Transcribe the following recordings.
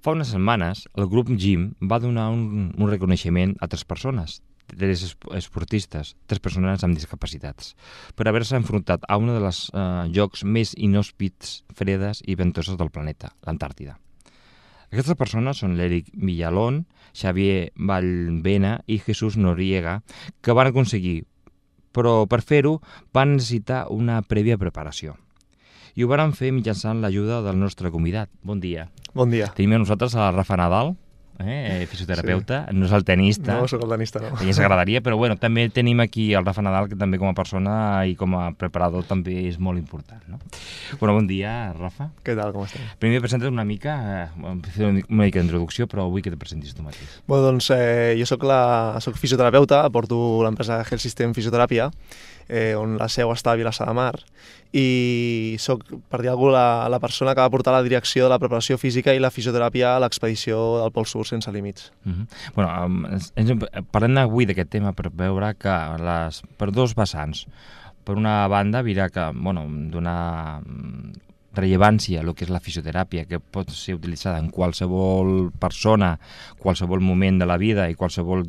Fa unes setmanes, el grup Gym va donar un reconeixement a 3 persones, 3 esportistes, 3 persones amb discapacitats, per haver-se enfrontat a un dels llocs més inhòspits, fredes i ventoses del planeta, l'Antàrtida. Aquestes persones són l'Eric Villalón, Xavier Vallbena i Jesús Noriega, que van aconseguir, però per fer-ho van necessitar una prèvia preparació. I ho van fer mitjançant l'ajuda del nostre convidat. Bon dia. Bon dia. Tenim a nosaltres a Rafa Nadal, fisioterapeuta, sí. No és el tenista. No, soc el tenista, no. Ja s'agradaria, però bueno, també tenim aquí el Rafa Nadal, que també com a persona i com a preparador també és molt important, no? Bueno, bon dia, Rafa. Què tal, com estem? Primer presentes una mica, fer una mica d'introducció, però vull que te presentis tu mateix. Bueno, doncs jo soc fisioterapeuta, porto l'empresa Health System Fisioteràpia, on la seu està a Vilassar de Mar, i soc, per dir alguna cosa, la persona que va portar la direcció de la preparació física i la fisioteràpia a l'expedició del Pol Sur sense límits. Bueno, parlem avui d'aquest tema per veure que per 2 vessants. Per una banda, dirà que donar rellevància a el que és la fisioteràpia, que pot ser utilitzada en qualsevol persona, qualsevol moment de la vida i qualsevol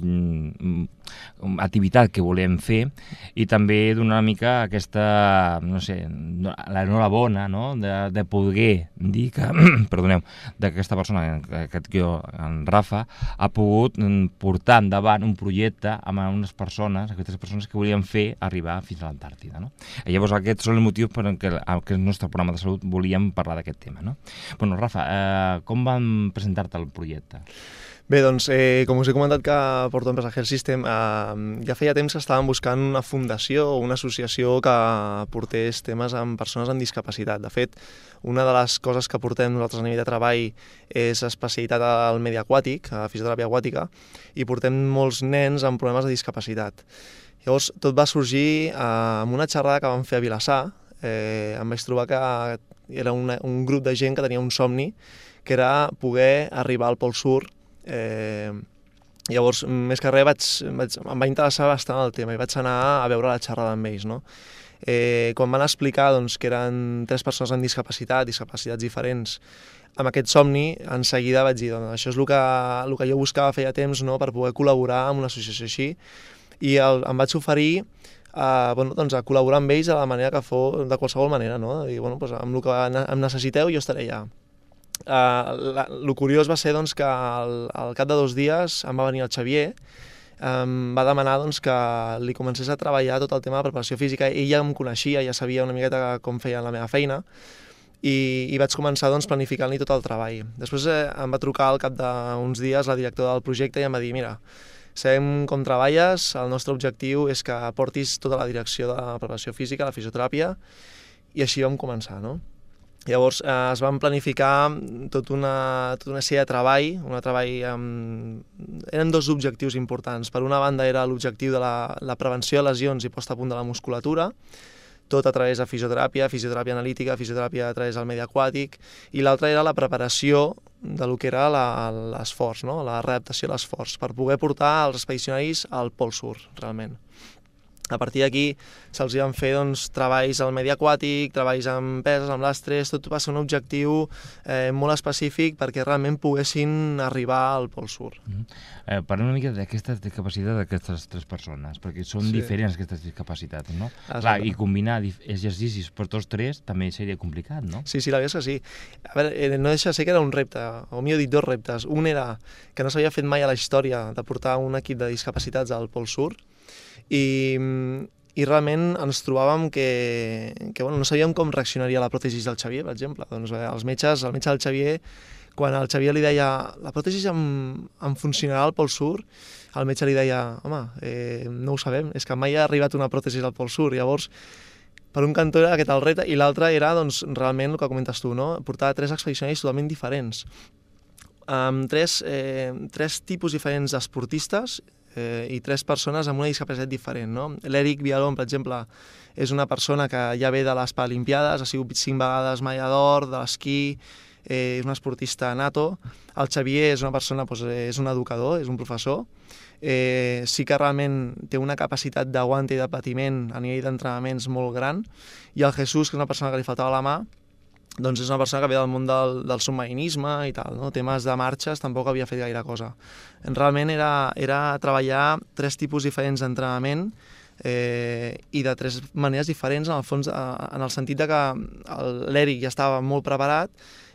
activitat que volem fer, i també donar una mica aquesta, l'enhorabona, no?, de poder dir que, perdoneu, d'aquesta persona, en Rafa, ha pogut portar endavant un projecte amb aquestes persones que volien fer arribar fins a l'Antàrtida, no? I llavors aquests són els motius per què el nostre programa de salut volíem parlar d'aquest tema, no? Bueno, Rafa, com vam presentar-te el projecte? Bé, doncs, com us he comentat que porto l'empresa Health System, ja feia temps que estàvem buscant una fundació o una associació que portés temes amb persones amb discapacitat. De fet, una de les coses que portem nosaltres a nivell de treball és especialitat al medi aquàtic, a fisioteràpia aquàtica, i portem molts nens amb problemes de discapacitat. Llavors, tot va sorgir amb una xerrada que vam fer a Vilassar. Em vaig trobar que era un grup de gent que tenia un somni, que era poder arribar al Pol Sur. Llavors, més que res, em va interessar bastant el tema i vaig anar a veure la xerrada amb ells, no? Quan van explicar que eren 3 persones amb discapacitats diferents, amb aquest somni, en seguida vaig dir, això és el que jo buscava feia temps, no?, per poder col·laborar amb una associació així, i em vaig oferir a col·laborar amb ells de la manera que fos, de qualsevol manera, no? I, amb el que em necessiteu jo estaré allà. El curiós va ser que al cap de 2 dies em va venir el Xavier, em va demanar que li comencés a treballar tot el tema de preparació física. Ell ja em coneixia, ja sabia una miqueta com feia la meva feina, i vaig començar planificant-li tot el treball. Després em va trucar al cap d'uns dies la directora del projecte i em va dir, mira, sabem com treballes, el nostre objectiu és que portis tota la direcció de la preparació física, la fisioteràpia, i així vam començar, no? Llavors es van planificar tota una sèrie de treball, eren 2 objectius importants. Per una banda era l'objectiu de la prevenció de lesions i posta a punt de la musculatura, tot a través de fisioteràpia analítica, fisioteràpia a través del medi aquàtic, i l'altra era la preparació del que era l'esforç, no?, la readaptació a l'esforç, per poder portar els expedicionaris al Pol Sur, realment. A partir d'aquí se'ls van fer treballs al medi aquàtic, treballs amb peses, amb lastres, tot va ser un objectiu molt específic perquè realment poguessin arribar al Pol Sur. Parlem una mica d'aquesta discapacitat d'aquestes 3 persones, perquè són diferents aquestes discapacitats, no? Clar, i combinar exercicis per tots 3 també seria complicat, no? Sí, la veritat és que sí. A veure, no deixa de ser que era un repte, o millor dit, 2 reptes. Un era que no s'havia fet mai a la història de portar un equip de discapacitats al Pol Sur, i realment ens trobàvem que no sabíem com reaccionaria la pròtesi del Xavier, per exemple. El metge del Xavier, quan el Xavier li deia la pròtesi em funcionarà al Pol Sur, el metge li deia, home, no ho sabem, és que mai ha arribat una pròtesi al Pol Sur. Llavors, per un cantó era aquest el repte, i l'altre era realment el que comentes tu, no?, portar 3 expedicionaris totalment diferents, amb 3 tipus diferents d'esportistes, i 3 persones amb una discapacitat diferent, no? L'Eric Villalón, per exemple, és una persona que ja ve de les Paralimpiades, ha sigut 5 vegades medalla d'or, de l'esquí, és un esportista nato. El Xavier és una persona, és un educador, és un professor. Sí que realment té una capacitat d'aguant i de patiment a nivell d'entrenaments molt gran. I el Jesús, que és una persona que li faltava la mà, doncs és una persona que ve del món del submarinisme i tal, no? Temes de marxes tampoc havia fet gaire cosa. Realment era treballar 3 tipus diferents d'entrenament i de 3 maneres diferents, en el fons, en el sentit de que l'Eric ja estava molt preparat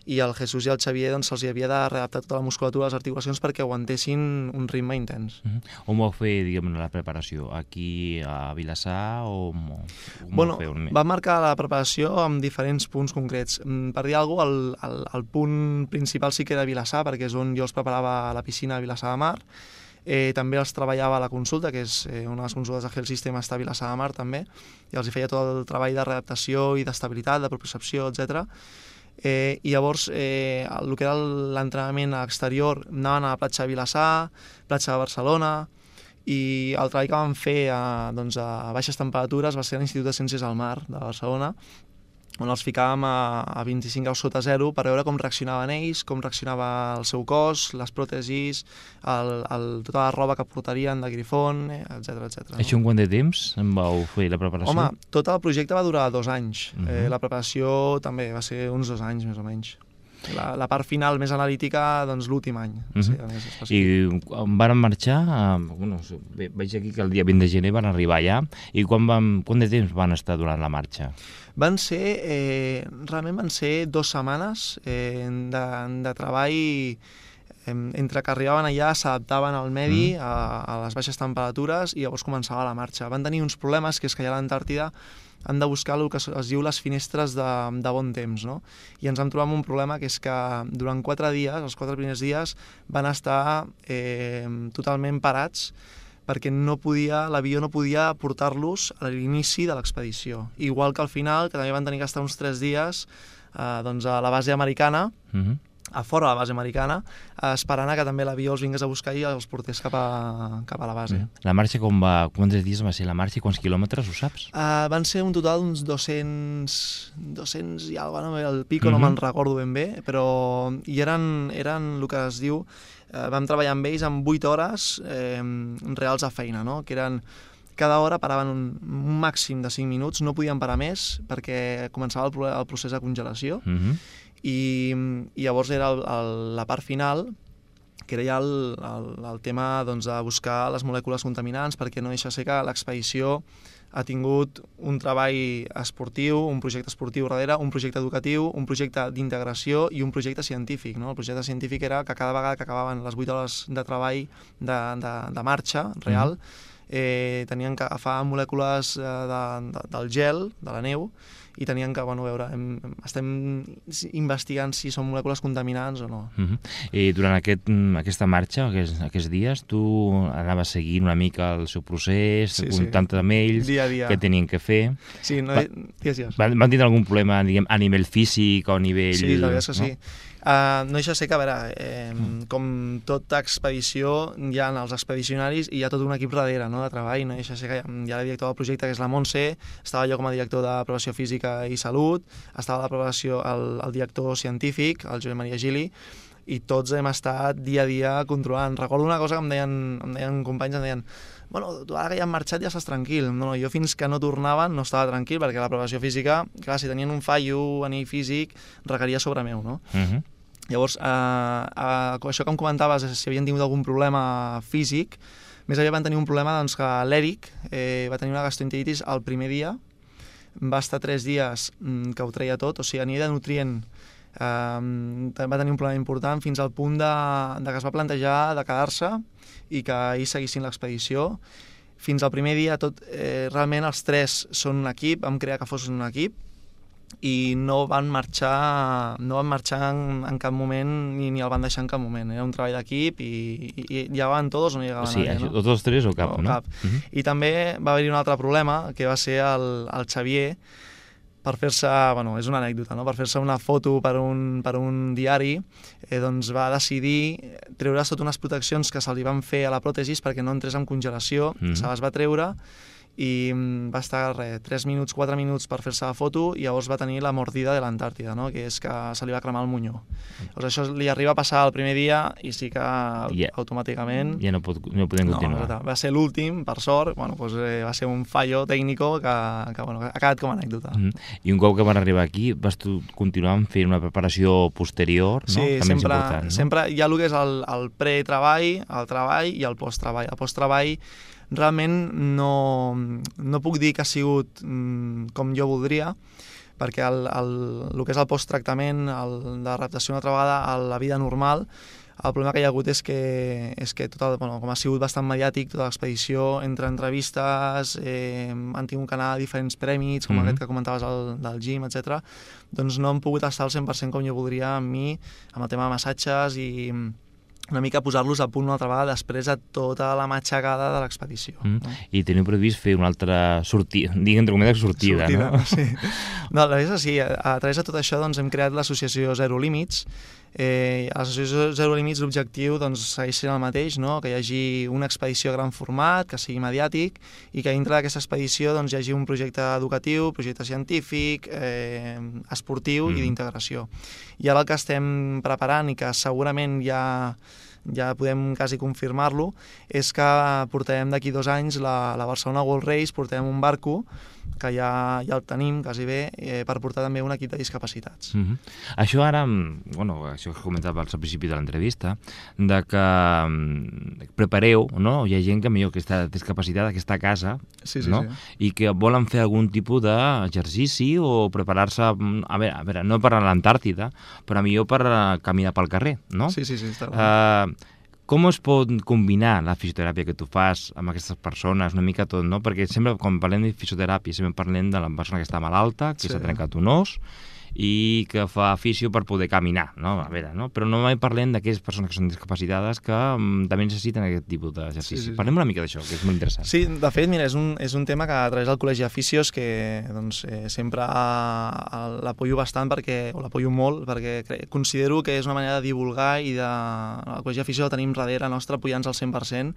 i el Jesús i el Xavier doncs, se'ls havia de readaptar tota la musculatura, les articulacions, perquè aguantessin un ritme intens. On vau fer, diguem, la preparació? Aquí a Vilassar o bueno, vam marcar la preparació amb diferents punts concrets. Per dir alguna cosa, el punt principal sí que era Vilassar, perquè és on jo els preparava a la piscina a Vilassar de Mar. També els treballava a la consulta, que és una de les consultes de Health System, està a Vilassar de Mar també, i els hi feia tot el treball de readaptació i d'estabilitat, de propiocepció, etc. I llavors el que era l'entrenament exterior anaven a la platja de Vilassar, platja de Barcelona, i el treball que vam fer a baixes temperatures va ser a l'Institut de Ciències del Mar de Barcelona, on els ficàvem a 25 graus sota zero per veure com reaccionaven ells, com reaccionava el seu cos, les pròtesis, tota la roba que portarien de grifon, etc. Això en quant de temps en vau fer la preparació? Home, tot el projecte va durar 2 anys. La preparació també va ser uns 2 anys, més o menys. La part final més analítica, doncs l'últim any. I van marxar, veig aquí que el dia 20 de gener van arribar allà, i quant de temps van estar durant la marxa? Realment van ser 2 setmanes de treball entre que arribaven allà, s'adaptaven al medi, a les baixes temperatures, i llavors començava la marxa. Van tenir uns problemes, que és que allà a l'Antàrtida han de buscar el que es diu les finestres de bon temps, no? I ens vam trobar amb un problema, que és que durant 4 dies, els 4 primers dies, van estar totalment parats, perquè l'avió no podia portar-los a l'inici de l'expedició. Igual que al final, que també van tenir que estar uns 3 dies a la base americana, a fora de la base americana, esperant que també l'avió els vingués a buscar i els portés cap a la base. La marxa quants dies va ser la marxa i quants quilòmetres, ho saps? Van ser un total d'uns 200 i alguna cosa, el pico no me'n recordo ben bé, però eren el que es diu, vam treballar amb ells amb 8 hores reals a feina, no? Que eren cada hora paraven un màxim de 5 minuts, no podien parar més perquè començava el procés de congelació, i llavors era la part final, que era ja el tema de buscar les molècules contaminants, perquè no deixa ser que l'expedició ha tingut un treball esportiu, un projecte esportiu darrere, un projecte educatiu, un projecte d'integració i un projecte científic. No? El projecte científic era que cada vegada que acabaven les 8 hores de treball de marxa real, tenien que agafar molècules del gel, de la neu, i tenien que, veure, estem investigant si són molècules contaminants o no. I durant aquesta marxa, aquests dies, tu anaves seguint una mica el seu procés, comptant amb ells, dia a dia, què tenien que fer. Sí, van tindre algun problema a nivell físic o a nivell... Sí, la veritat és que sí. No deixa ser que, a veure, com tota expedició, hi ha els expedicionaris i hi ha tot un equip darrere, no?, de treball. No deixa ser que hi ha la directora del projecte, que és la Montse, estava jo com a director de prevenció física i salut, estava la prevenció el director científic, el Josep Maria Gili, i tots hem estat dia a dia controlant. Recordo una cosa que em deien companys, em deien: bueno, tu ara que ja han marxat ja estàs tranquil. No, jo fins que no tornaven no estava tranquil, perquè la prevenció física, clar, si tenien un fallo a nivell físic, requeria sobre meu, no? Llavors, això que em comentaves, si havien tingut algun problema físic, més aviat van tenir un problema, doncs, que l'Eric va tenir una gastroenteritis el primer dia, va estar 3 dies que ho treia tot, o sigui, a nivell de nutrient va tenir un problema important fins al punt que es va plantejar de quedar-se i que ells seguissin l'expedició. Fins al primer dia, realment els 3 són un equip, vam crear que fossin un equip, i no van marxar en cap moment ni el van deixar en cap moment. Era un treball d'equip i llegaven tots o no llegaven nadie, no? Tots 3 o cap, no? Cap. I també va haver-hi un altre problema, que va ser el Xavier, per fer-se, és una anècdota, no?, per fer-se una foto per un diari, doncs va decidir treure's totes unes proteccions que se li van fer a la pròtesis perquè no entrés en congelació, se les va treure, i va estar 3 minuts, 4 minuts per fer-se la foto i llavors va tenir la mordida de l'Antàrtida, no? Que és que se li va cremar el monyó. Llavors això li arriba a passar el primer dia i sí que automàticament... Ja no podem continuar. No, va ser l'últim, per sort, bueno, doncs, va ser un fallo tècnico que ha quedat com a anècdota. I un cop que van arribar aquí vas continuar fent una preparació posterior, no? Sí, també sempre, important, no? Sempre hi ha el que és el pre-treball, el treball i el post-treball. El post-treball realment no puc dir que ha sigut com jo voldria, perquè el que és el post-tractament, de l'adaptació una altra vegada a la vida normal, el problema que hi ha hagut és que com ha sigut bastant mediàtic, tota l'expedició, entre entrevistes, han tingut que anar a diferents prèmits, com aquest que comentaves del gym, etc. Doncs no hem pogut estar al 100% com jo voldria amb mi, amb el tema de massatges i una mica posar-los a punt una altra vegada després de tota la matxacada de l'expedició. No? I teniu previst fer una altra sortida, entre cometes sortida, no? Sí. No, la veritat és que sí, a través de tot això doncs, hem creat l'associació Zero Límits. A l'associació Zero Límits l'objectiu doncs, segueix sent el mateix, no? Que hi hagi una expedició a gran format, que sigui mediàtic, i que dintre d'aquesta expedició doncs, hi hagi un projecte educatiu, projecte científic, esportiu i d'integració. I ara el que estem preparant i que segurament ja podem quasi confirmar-lo, és que portarem d'aquí 2 anys la Barcelona World Race, portarem un barco, que ja el tenim quasi bé, per portar també un equip de discapacitats. Això ara, això que comentava al principi de l'entrevista, de que prepareu, no? Hi ha gent que millor que està discapacitada, que està a casa, no? I que volen fer algun tipus d'exercici o preparar-se, a veure, no per a l'Antàrtida, però millor per caminar pel carrer, no? Sí, està clar. Com es pot combinar la fisioteràpia que tu fas amb aquestes persones, una mica tot, no? Perquè sempre, quan parlem de fisioteràpia, sempre parlem de la persona que està malalta, que s'ha trencat un os, i que fa fisio per poder caminar, no? A veure, no? Però no mai parlem d'aquelles persones que són discapacitades que també necessiten aquest tipus d'exercici. Parlem una mica d'això, que és molt interessant. Sí, de fet, mira, és un tema que a través del Col·legi de Fisios que doncs, sempre l'apoyo bastant, o l'apoyo molt, perquè considero que és una manera de divulgar i el Col·legi de Fisios el tenim darrere nostre apoyant-nos al 100%,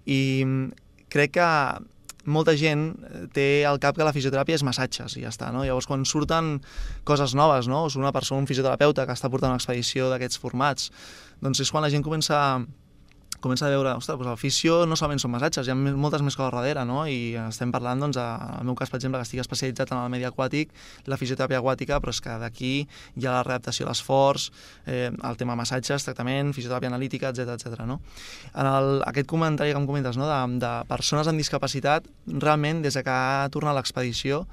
i crec que molta gent té al cap que la fisioteràpia és massatges i ja està, no? Llavors, quan surten coses noves, no? O sigui, una persona, un fisioterapeuta que està portant una expedició d'aquests formats, doncs és quan la gent comença a veure, ostres, doncs el fisio no solament són massatges, hi ha moltes més coses darrere, no? I estem parlant, doncs, en el meu cas, per exemple, que estic especialitzat en el medi aquàtic, la fisioteràpia aquàtica, però és que d'aquí hi ha la readaptació a l'esforç, el tema massatges, tractament, fisioteràpia analítica, etc. no? En aquest comentari que em comentes, no? de persones amb discapacitat, realment, des que ha tornat l'expedició,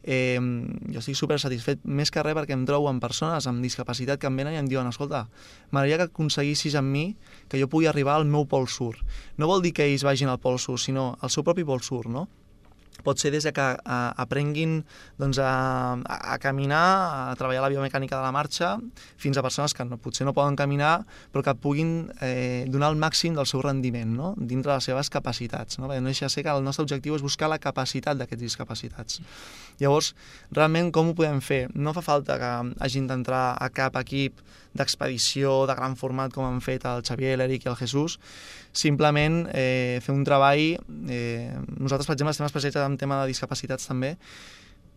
jo estic super satisfet, més que res perquè em trobo amb persones amb discapacitat que em venen i em diuen, escolta, m'agradaria que aconseguissis amb mi que jo pugui arribar al meu pol sud. No vol dir que ells vagin al pol sud, sinó al seu propi pol sud, no? Pot ser des que aprenguin doncs, a caminar, a treballar la biomecànica de la marxa, fins a persones que potser no poden caminar, però que puguin donar el màxim del seu rendiment, no? Dintre de les seves capacitats. No? Perquè no deixa de ser que el nostre objectiu és buscar la capacitat d'aquests discapacitats. Llavors, realment, com ho podem fer? No fa falta que hagin d'entrar a cap equip d'expedició de gran format com han fet el Xavier, l'Eric i el Jesús, simplement fer un treball. Nosaltres, per exemple, estem especialitzats en tema de discapacitats també.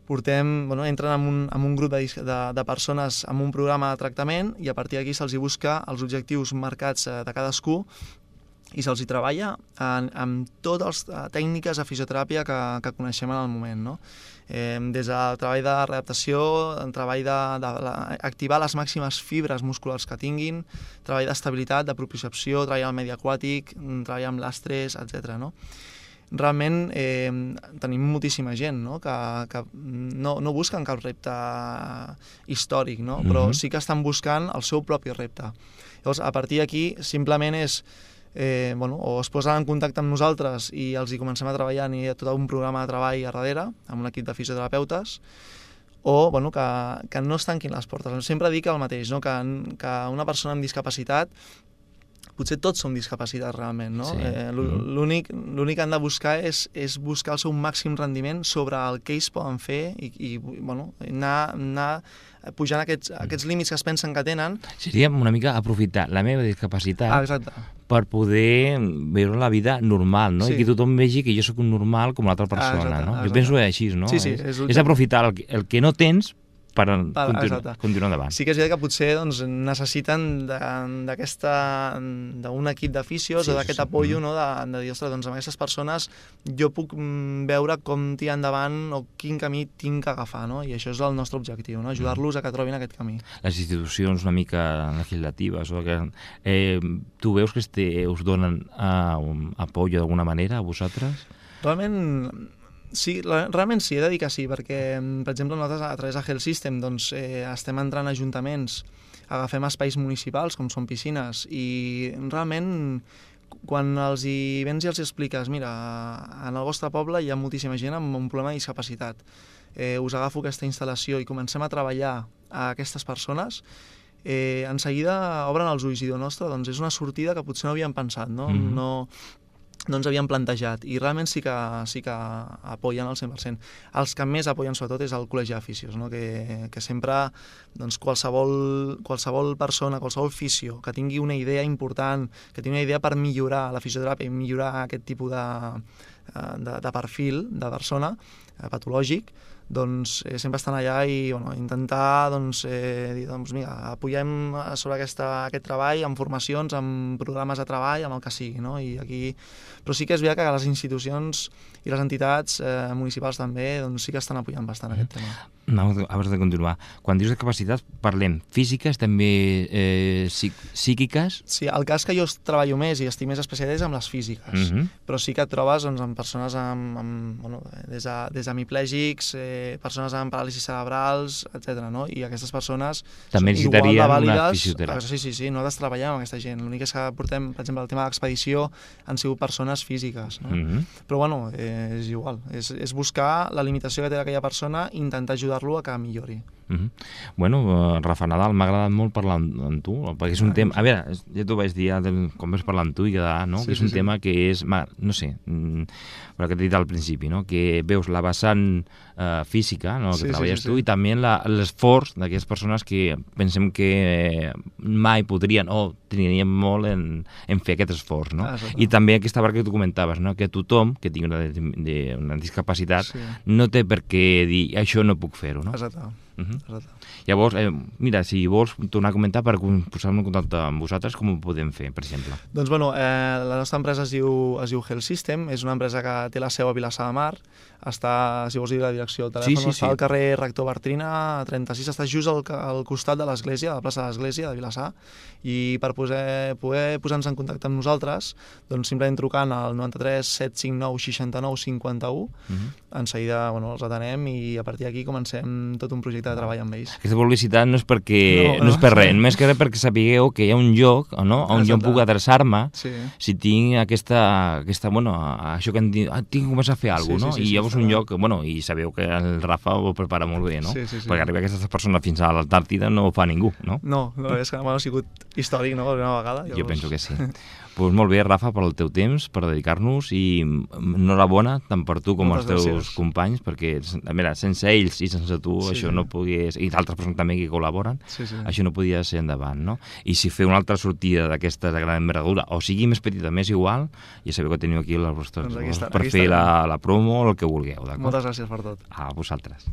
Entren en un grup de persones amb un programa de tractament i a partir d'aquí se'ls busca els objectius marcats de cadascú i se'ls treballa amb totes les tècniques de fisioteràpia que coneixem en el moment, no? Des del treball de readaptació, el treball d'activar les màximes fibres musculars que tinguin, treball d'estabilitat, de propiocepció, treball al medi aquàtic, treball amb l'estrès, etc. No? Realment tenim moltíssima gent, no? Que no busquen cap repte històric, no? Però sí que estan buscant el seu propi repte. Llavors, a partir d'aquí, simplement és o es posen en contacte amb nosaltres i els hi comencem a treballar, hi ha tot un programa de treball a darrere, amb un equip de fisioterapeutes, o que no es tanquin les portes. Sempre dic el mateix, no? Que una persona amb discapacitat, potser tots som discapacitats realment, no? Sí. L'únic que han de buscar és buscar el seu màxim rendiment sobre el que ells poden fer i anar pujant aquests límits que es pensen que tenen. Seria una mica aprofitar la meva discapacitat per poder veure la vida normal, no? I que tothom vegi que jo sóc un normal com l'altra persona, no? Jo penso així, no? Sí, és aprofitar el que no tens per continuar endavant. Sí que és veritat que potser doncs, necessiten d'un equip d'aficios o d'aquest apoyo, no? de dir, ostres, doncs amb aquestes persones jo puc veure com tirar endavant o quin camí tinc que agafar, no? I això és el nostre objectiu, no? Ajudar-los a que trobin aquest camí. Les institucions una mica legislatives, tu veus que us donen apoyo d'alguna manera a vosaltres? Realment sí, he de dir que sí, perquè, per exemple, nosaltres a través de Health System doncs, estem entrant a ajuntaments, agafem espais municipals, com són piscines, i realment quan els hi vens i els expliques, mira, en el vostre poble hi ha moltíssima gent amb un problema de discapacitat, us agafo aquesta instal·lació i comencem a treballar a aquestes persones, en seguida obren els ulls i diuen, ostres, doncs és una sortida que potser no havíem pensat, no? No ens havíem plantejat, i realment sí que apoyen al 100%. Els que més apoyen sobretot és el Col·legi d'Aficios, no? que sempre doncs, qualsevol persona, qualsevol fisio que tingui una idea important, que tingui una idea per millorar la fisioteràpia i millorar aquest tipus de perfil de persona patològic, doncs sempre estan allà i intentar dir, mira, apoyem sobre aquest treball amb formacions, amb programes de treball, amb el que sigui, no? I aquí... Però sí que és veritat que les institucions i les entitats municipals també sí que estan apoyant bastant aquest tema. No, abans de continuar, quan dius de capacitats parlem físiques, també psíquiques? Sí, el cas que jo treballo més i estic més especialitzat és amb les físiques, però sí que et trobes amb persones des d'hemiplègics, persones amb paràlisis cerebrals, etc. No? I aquestes persones també necessitarien una fisioteràpia. Sí, nosaltres treballem amb aquesta gent. L'únic és que portem, per exemple, el tema de l'expedició han sigut persones físiques. No? Però és igual. És buscar la limitació que té aquella persona i intentar ajudar-lo a que millori. Bueno, Rafa Nadal, m'ha agradat molt parlar amb tu, perquè és un tema... A veure, ja t'ho vaig dir com vas parlar amb tu i quedar, no? Que és un tema que és... No sé, però que t'he dit al principi, no? Que veus la vessant física, no? Que treballes tu, i també l'esforç d'aquestes persones que pensem que mai podrien o trinarien molt en fer aquest esforç, no? I també aquesta part que tu comentaves, no? Que tothom que tingui una discapacitat no té per què dir això no puc fer-ho, no? Exacte. Llavors, mira, si vols tornar a comentar per posar-me en contacte amb vosaltres, com ho podem fer, per exemple? Doncs, la nostra empresa es diu Health System, és una empresa que té la seu a Vilassar de Mar, està, si vols dir la direcció, el telèfon està al carrer Rector Bartrina, 36, està just al costat de l'església, de la plaça de l'església de Vilassar, i per poder posar-nos en contacte amb nosaltres, doncs simplement trucant al 93 759 69 51, en seguida els atenem i a partir d'aquí comencem tot un projecte de treball amb ells. Aquesta publicitat no és res, només que res perquè sapigueu que hi ha un lloc on jo puc adreçar-me si tinc això que em diu, tinc que començar a fer alguna cosa, no? I llavors un lloc, i sabeu que el Rafa ho prepara molt bé, no? Perquè arribar aquestes persones fins a l'Antàrtida no ho fa ningú, no? No, és que ha sigut històric, no?, una vegada. Jo penso que sí. Doncs molt bé, Rafa, per el teu temps, per dedicar-nos, i enhorabona tant per tu com els teus companys, perquè sense ells i sense tu això no pogués, i d'altres persones també que col·laboren, això no podia ser endavant, no? I si fer una altra sortida d'aquesta de gran envergadura, o sigui més petita, més igual, ja sabeu que teniu aquí les vostres per fer la promo o el que vulgueu, d'acord? Moltes gràcies per tot. A vosaltres.